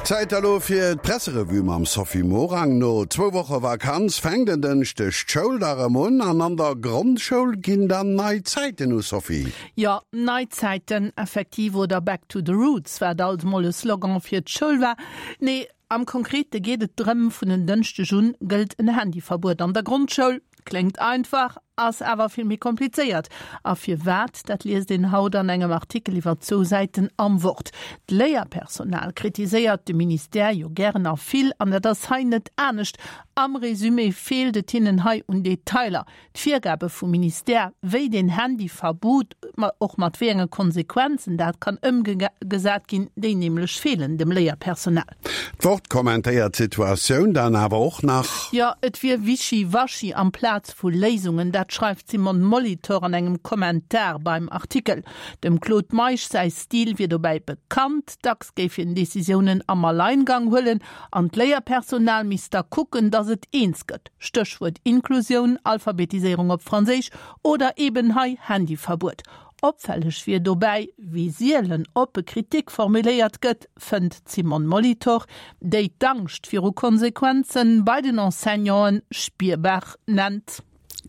Zäit elo fir d'Presserevue mam Sophie Morang. No zwou Woche Vakanz fänkt en Dënschdeg d'Schoul da rëm un an an der Grondschoul ginn dann nei Zäiten u, Sophie. Jo, nei Zäiten, effektiv, oder Back to the roots, wat alt mol e Slogan fir d'Schoul war. Nee, am Konkrete geet et drëm, vun en Dënschdeg un gëllt en Handyverbuet an der Grondschoul. Kléngt einfach, ass awer vill méi komplizéiert. A firwat, dat liest een haut an engem Artikel iwwer zwou Säiten am Wort. D'Léierpersonal kritiséiert de Ministère jo gären a vill, an dat ass hei net anescht. Am Resumé feelt et hinnen hei un Detailer. D'Virgabe vum Ministère, wéi deen Handyverbot, och mat wéi enge Konsequenzen dat kann ëmgesat ginn, déi nämlech feelen dem Léierpersonal. D'Wort kommentéiert d'Situatioun dann awer och nach. Jo, et wier Wischi-Waschi amplaz vu Léisungen, dat schreift d'Simone Molitor an engem Kommentar beim Artikel. Dem Claude Meisch säi Stil wier dobäi bekannt, dacks géif hien Decisiounen am Alleingang huelen an d'Léierpersonal misst da kucken, datt et eens gëtt, Stéchwuert Inklusioun, Alphabetiséierung op Franséisch oder eben hei Handyverbuet. Opfälleg wier dobäi, wéi sielen oppe Kritik formuléiert gëtt, fënnt d'Simone Molitor, déi d'Angscht viru Konsequenze bei den Enseignanten spierbar nennt.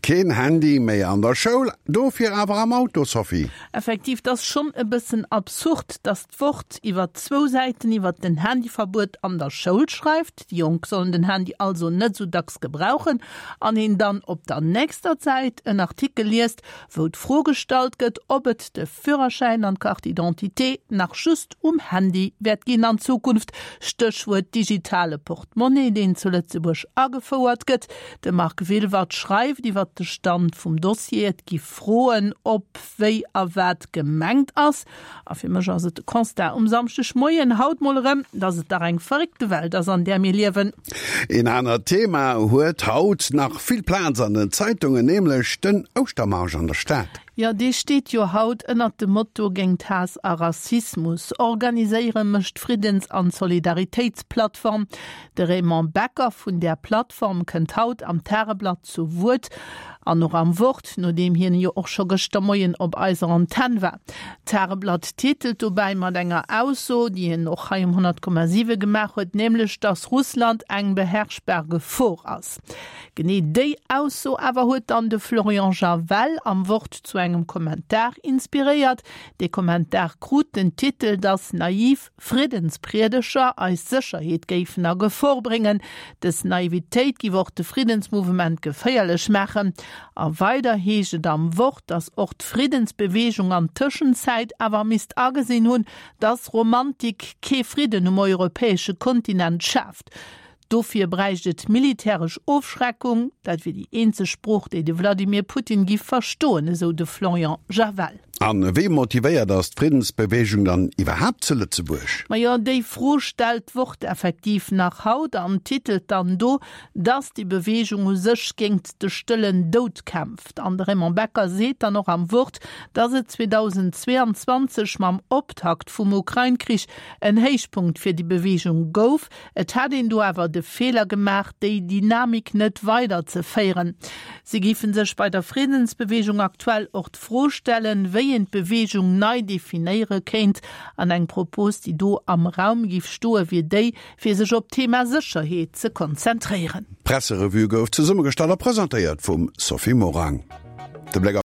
Keen Handy méi an der Schoul, dofir awer am Auto, Sophie? Effektiv, 't ass schonn e bëssen absurd, datt d'Wort iwwer zwou Säiten iwwer den Handyverbuet an der Schoul schreift, déi Jonk sollen den Handy also net esou dacks gebrauchen, an een dann op der nächster Säit en Artikel liest, wou d'Fro gestallt gëtt, ob et de Führerschäin an d'Carte d'identité nach just um Handy wäert ginn an Zukunft, Stéchwuert digitale Portemonnaie, deen zu Lëtzebuerg agefouert gëtt. De Marc Wilwert schreift iwwert de Stand vum Dossier, et gi Froen op, wéi a wat gemengt ass. A fir mech ass et de Constat um Samschdegmoien haut mol erëm, dass et dach eng verréckte Welt ass, an där mir liewen. Een anert Thema huet haut nach vill Plaz an den Zeitungen, nämlech den Ouschtermarsch an der Stad. Jo, dee steet jo haut ënnert dem Motto Géingt Haass a Rassismus organiséiere mécht d'Friddens an Solidaritéitsplattform. De Raymond Becker vun där Plattform kënnt haut am Tageblatt zu Wuert an och am Wort, nodeem hien jo och scho gëschter Moien op eiser Antenn war. D'Tageblatt titelt dobäi mat enger Ausso, déi hien och hei um 100,7 gemaach huet, nämlech datt Russland eng beherrschbar Gefor ass. Genee déi Ausso awer huet dann de Florian Javel am Wort zu engem Kommentar inspiréiert. Dee Kommentar krut den Titel, datt naiv Friddenspriedeger eis Sécherheet géifen a Gefor bréngen. Dës Naivitéit giff och de Friddensmouvement geféierlech maachen. A weider heescht et am Wort, datt och d'Friddensbeweegung an Tëschenzäit awer misst agesinn hunn, datt Romantik kee Fridden um europäesche Kontinent schaaft. Dofir bräicht et militäresch Ofschreckung. Dat wier déi eenzeg Sprooch, déi de Vladimir Putin giff verstoen, esou de Florian Javel. A wéi motivéiert ass d'Friddensbeweegung dann iwwerhaapt zu Lëtzebuerg? Majo, déi Fro stellt d'Wort effektiv nach haut an titelt dann do, dass déi Beweegung u sech géingt de stëllen Doud kämpft. An de Raymond Becker seet dann och am Wort, dass et 2022 mam Optakt vum Ukrain-Krich en Héichpunkt fir déi Beweegung gouf. Et hätt een do awer de Feeler gemaach, déi Dynamik net weider ze féieren. Si géife sech bei der Friddensbeweegung aktuell och d'Fro stellen, wéi een d'Beweegung nei definéiere kéint. An eng Propos, déi do am Raum géif stoe wier déi, fir sech op d'Thema Sécherheet ze konzentréieren. D'Presserevue gouf zesummegestallt a presentéiert vum Sophie Morang. De Bléck.